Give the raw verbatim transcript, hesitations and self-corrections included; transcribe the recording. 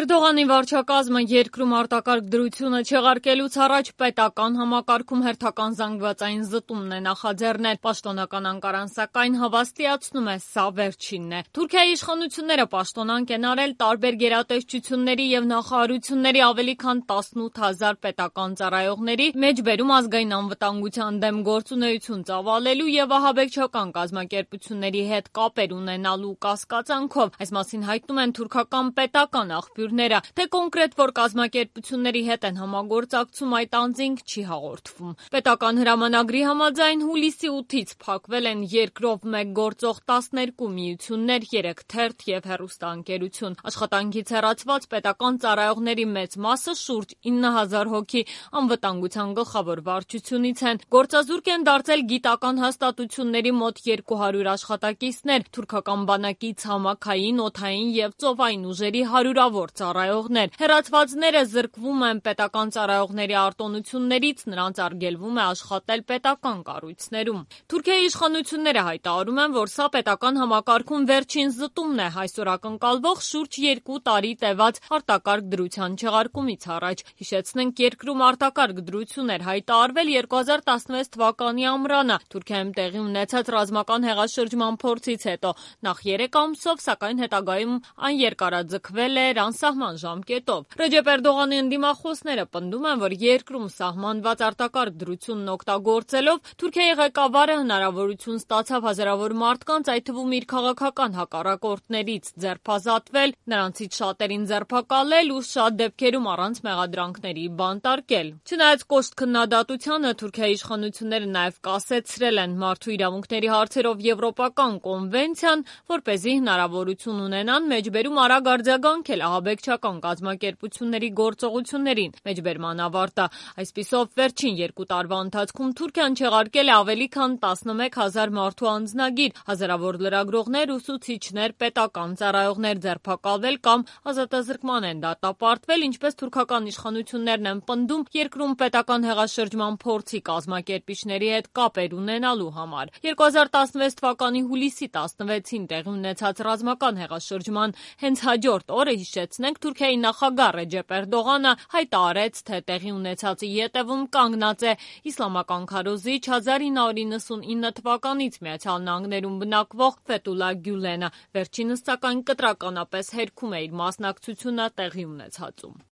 Էրդողանի վարչակազմը երկրում արտակարգ դրությունը չեղարկելուց առաջ պետական համակարգում հերթական զանգվածային զտումն է նախաձեռնել։ Պաշտոնական Անկարան սակայն հավաստիացնում է, սա վերջինն է։ Թուրքիայի իշխանությունները պաշտոնանկ են արել տարբեր գերատեսչությունների եւ նախարարությունների ավելի քան տասնութ հազար պետական ծառայողների մեջբերում ազգային անվտանգության դեմ գործունեություն ծավալելու եւ ահաբեկչական կազմակերպությունների հետ կապեր ունենալու կասկածանքով։ Այս մասին հայտնում են թուրքական պետական աղբյուրները, թե կոնկրետ որ կազմակերպությունների հետ են համագործակցում այդ անձինք չի հաղորդվում։ Պետական հրամանագրի համաձայն հուլիսի ութից փակվել են երկրով մեկ գործող տասներկու միություններ, երեք թերթ եւ հեռուստաընկերություն։ Աշխատանքից հեռացված պետական ծառայողների մեծ մասը, շուրջ ինը հազար հոգի, անվտանգության գլխավոր վարչությունից են։ Գործազուրկ են դարձել գիտական հաստատությունների մոտ երկու հարյուր աշխատակիցներ, թուրքական բանակի ցամաքային, օդային եւ ծովային ուժերի հարյուրավոր ծառայողներ։ Հեռացվածները զրկվում են պետական ծառայողների արտոնություններից, նրանց արգելվում է աշխատել պետական կառույցներում։ Թուրքիայի իշխանությունները հայտարարում են, որ սա պետական համակարգում վերջին զտումն է այսօր ակնկալվող շուրջ երկու տարի տևած արտակարգ դրության չեղարկումից առաջ։ Հիշեցնենք, երկրում արտակարգ դրություն էր հայտարարվել երկու հազար տասնվեց թվականի ամռանը Թուրքիայում տեղի ունեցած ռազմական հեղաշրջման փորձից հետո։ Նախ երեք ամսով, սակայն հետագայում այն երկարաձգվել էր անսահման ժամկետով։ Ռեջեփ Էրդողանի ընդդիմախոսները պնդում են, որ երկրում սահմանված արտակարգ դրությունն օգտագործելով Թուրքիայի ղեկավարը հնարավորություն ստացավ հազարավոր մարդկանց, այդ թվում իր քաղաքական հակառակորդներից ձերբազատվել, նրանցից շատերին ձերբակալել ու շատ դեպքերում առանց մեղադրանքների բանտարկել։ Չնայած կոշտ քննադատությանը, Թուրքիայի իշխանությունները նաև կասեցրել են մարդու իրավունքների հարցերով Եվրոպական կոնվենցիան, որպեսզի հնարավորություն ունենան մեջբերում արագ արձագանքել ահաբեկչական կազմակերպությունների գործողություններին։ Մեջբերման ավարտը։ Այսպիսով, վերջին երկու տարվա ընթացքում Թուրքիան չեղարկել է ավելի քան տասնմեկ հազար մարդու անձնագիր, հազարավոր լրագրողներ, ուսուցիչներ, պետական ծառայողներ ձերբակալվել կամ ազատազրկման են դատապարտվել, ինչպես թուրքական իշխանություններն են պնդում երկրում պետական հեղաշրջման փորձի կազմակերպիչների հետ կապեր ունենալու համար։ երկու հազար տասնվեց թվականի հուլիսի տասնվեցին տեղի ունեցած ռազմական հեղաշրջման հենց հաջորդ օրը, հիշեցնենք, Թուրքիայի նախագահ Ռեջեփ Էրդողանը հայտարարեց, թե տեղի ունեցածի ետևում կանգնած է իսլամական քարոզիչ հազար ինը հարյուր նվաթ թվականից Միացյալ Նահանգներում բնակվող Ֆեթուլա Գյուլենը։ Վերջինս սակայն կտրականապես հերքում է իր մասնակցությունը տեղի ունեցածում։